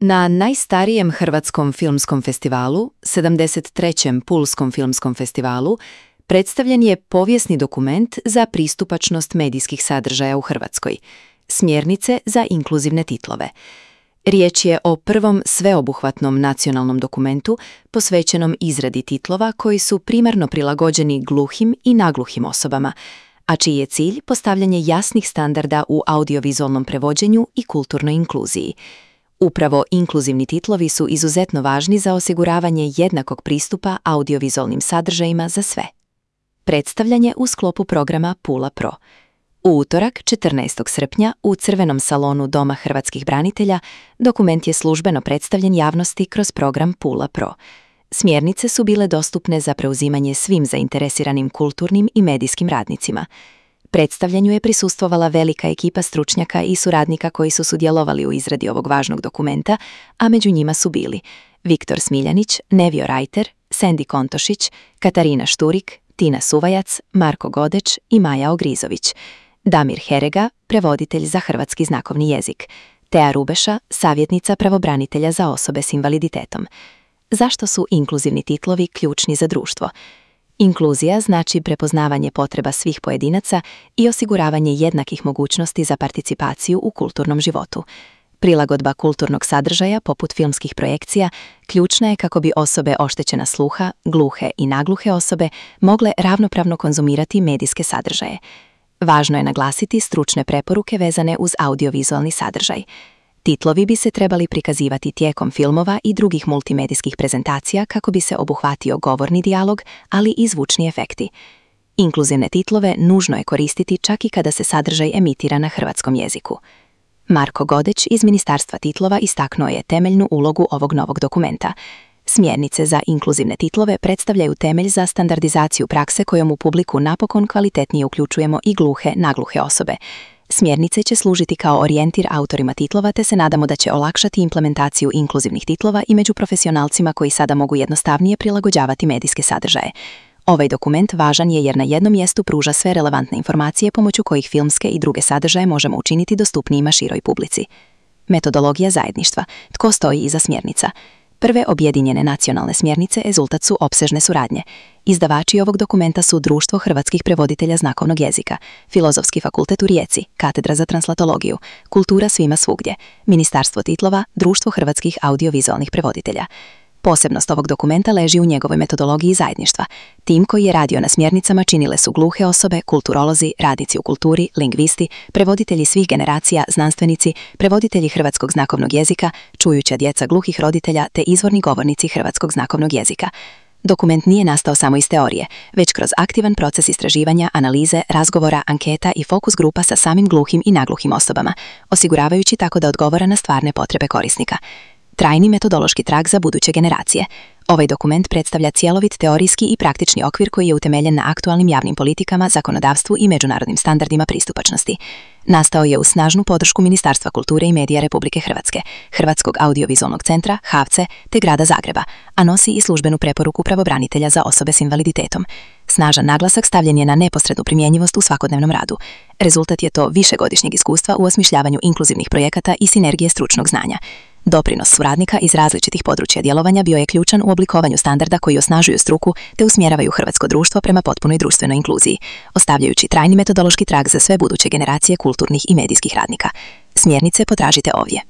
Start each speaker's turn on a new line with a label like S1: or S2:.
S1: Na najstarijem hrvatskom filmskom festivalu, 73. Pulskom filmskom festivalu, predstavljen je povijesni dokument za pristupačnost medijskih sadržaja u Hrvatskoj, Smjernice za inkluzivne titlove. Riječ je o prvom sveobuhvatnom nacionalnom dokumentu posvećenom izradi titlova koji su primarno prilagođeni gluhim i nagluhim osobama, a čiji je cilj postavljanje jasnih standarda u audiovizualnom prevođenju i kulturnoj inkluziji. Upravo inkluzivni titlovi su izuzetno važni za osiguravanje jednakog pristupa audiovizualnim sadržajima za sve. Predstavljanje u sklopu programa Pula Pro. U utorak, 14. srpnja, u Crvenom salonu Doma hrvatskih branitelja, dokument je službeno predstavljen javnosti kroz program Pula Pro. Smjernice su bile dostupne za preuzimanje svim zainteresiranim kulturnim i medijskim radnicima. Predstavljanju je prisustvovala velika ekipa stručnjaka i suradnika koji su sudjelovali u izradi ovog važnog dokumenta, a među njima su bili Viktor Smiljanić, Nevio Rajter, Sendi Kontošić, Katarina Šturik, Tina Suvajac, Marko Godeć i Maja Ogrizović, Damir Herega, prevoditelj za hrvatski znakovni jezik, Tea Rubeša, savjetnica pravobranitelja za osobe s invaliditetom. Zašto su inkluzivni titlovi ključni za društvo? Inkluzija znači prepoznavanje potreba svih pojedinaca i osiguravanje jednakih mogućnosti za participaciju u kulturnom životu. Prilagodba kulturnog sadržaja, poput filmskih projekcija, ključna je kako bi osobe oštećena sluha, gluhe i nagluhe osobe mogle ravnopravno konzumirati medijske sadržaje. Važno je naglasiti stručne preporuke vezane uz audiovizualni sadržaj. Titlovi bi se trebali prikazivati tijekom filmova i drugih multimedijskih prezentacija kako bi se obuhvatio govorni dijalog, ali i zvučni efekti. Inkluzivne titlove nužno je koristiti čak i kada se sadržaj emitira na hrvatskom jeziku. Marko Godeć iz Ministarstva titlova istaknuo je temeljnu ulogu ovog novog dokumenta. Smjernice za inkluzivne titlove predstavljaju temelj za standardizaciju prakse kojom u publiku napokon kvalitetnije uključujemo i gluhe, nagluhe osobe. Smjernice će služiti kao orijentir autorima titlova te se nadamo da će olakšati implementaciju inkluzivnih titlova i među profesionalcima koji sada mogu jednostavnije prilagođavati medijske sadržaje. Ovaj dokument važan je jer na jednom mjestu pruža sve relevantne informacije pomoću kojih filmske i druge sadržaje možemo učiniti dostupnijima široj publici. Metodologija zajedništva. Tko stoji iza smjernica? Prve objedinjene nacionalne smjernice rezultat su opsežne suradnje. Izdavači ovog dokumenta su Društvo hrvatskih prevoditelja znakovnog jezika, Filozofski fakultet u Rijeci, Katedra za translatologiju, Kultura svima svugdje, Ministarstvo titlova, Društvo hrvatskih audiovizualnih prevoditelja. Posebnost ovog dokumenta leži u njegovoj metodologiji zajedništva. Tim koji je radio na smjernicama činile su gluhe osobe, kulturolozi, radnici u kulturi, lingvisti, prevoditelji svih generacija, znanstvenici, prevoditelji hrvatskog znakovnog jezika, čujuća djeca gluhih roditelja te izvorni govornici hrvatskog znakovnog jezika. Dokument nije nastao samo iz teorije, već kroz aktivan proces istraživanja, analize, razgovora, anketa i fokus grupa sa samim gluhim i nagluhim osobama, osiguravajući tako da odgovara na stvarne potrebe korisnika. Trajni metodološki trag za buduće generacije. Ovaj dokument predstavlja cjelovit teorijski i praktični okvir koji je utemeljen na aktualnim javnim politikama, zakonodavstvu i međunarodnim standardima pristupačnosti. Nastao je uz snažnu podršku Ministarstva kulture i medija Republike Hrvatske, Hrvatskog audiovizualnog centra, HAVC-e te Grada Zagreba, a nosi i službenu preporuku pravobranitelja za osobe s invaliditetom. Snažan naglasak stavljen je na neposrednu primjenjivost u svakodnevnom radu. Rezultat je to višegodišnjeg iskustva u osmišljavanju inkluzivnih projekata i sinergije stručnog znanja. Doprinos suradnika iz različitih područja djelovanja bio je ključan u oblikovanju standarda koji osnažuju struku te usmjeravaju hrvatsko društvo prema potpunoj društvenoj inkluziji, ostavljajući trajni metodološki trag za sve buduće generacije kulturnih i medijskih radnika. Smjernice potražite ovdje.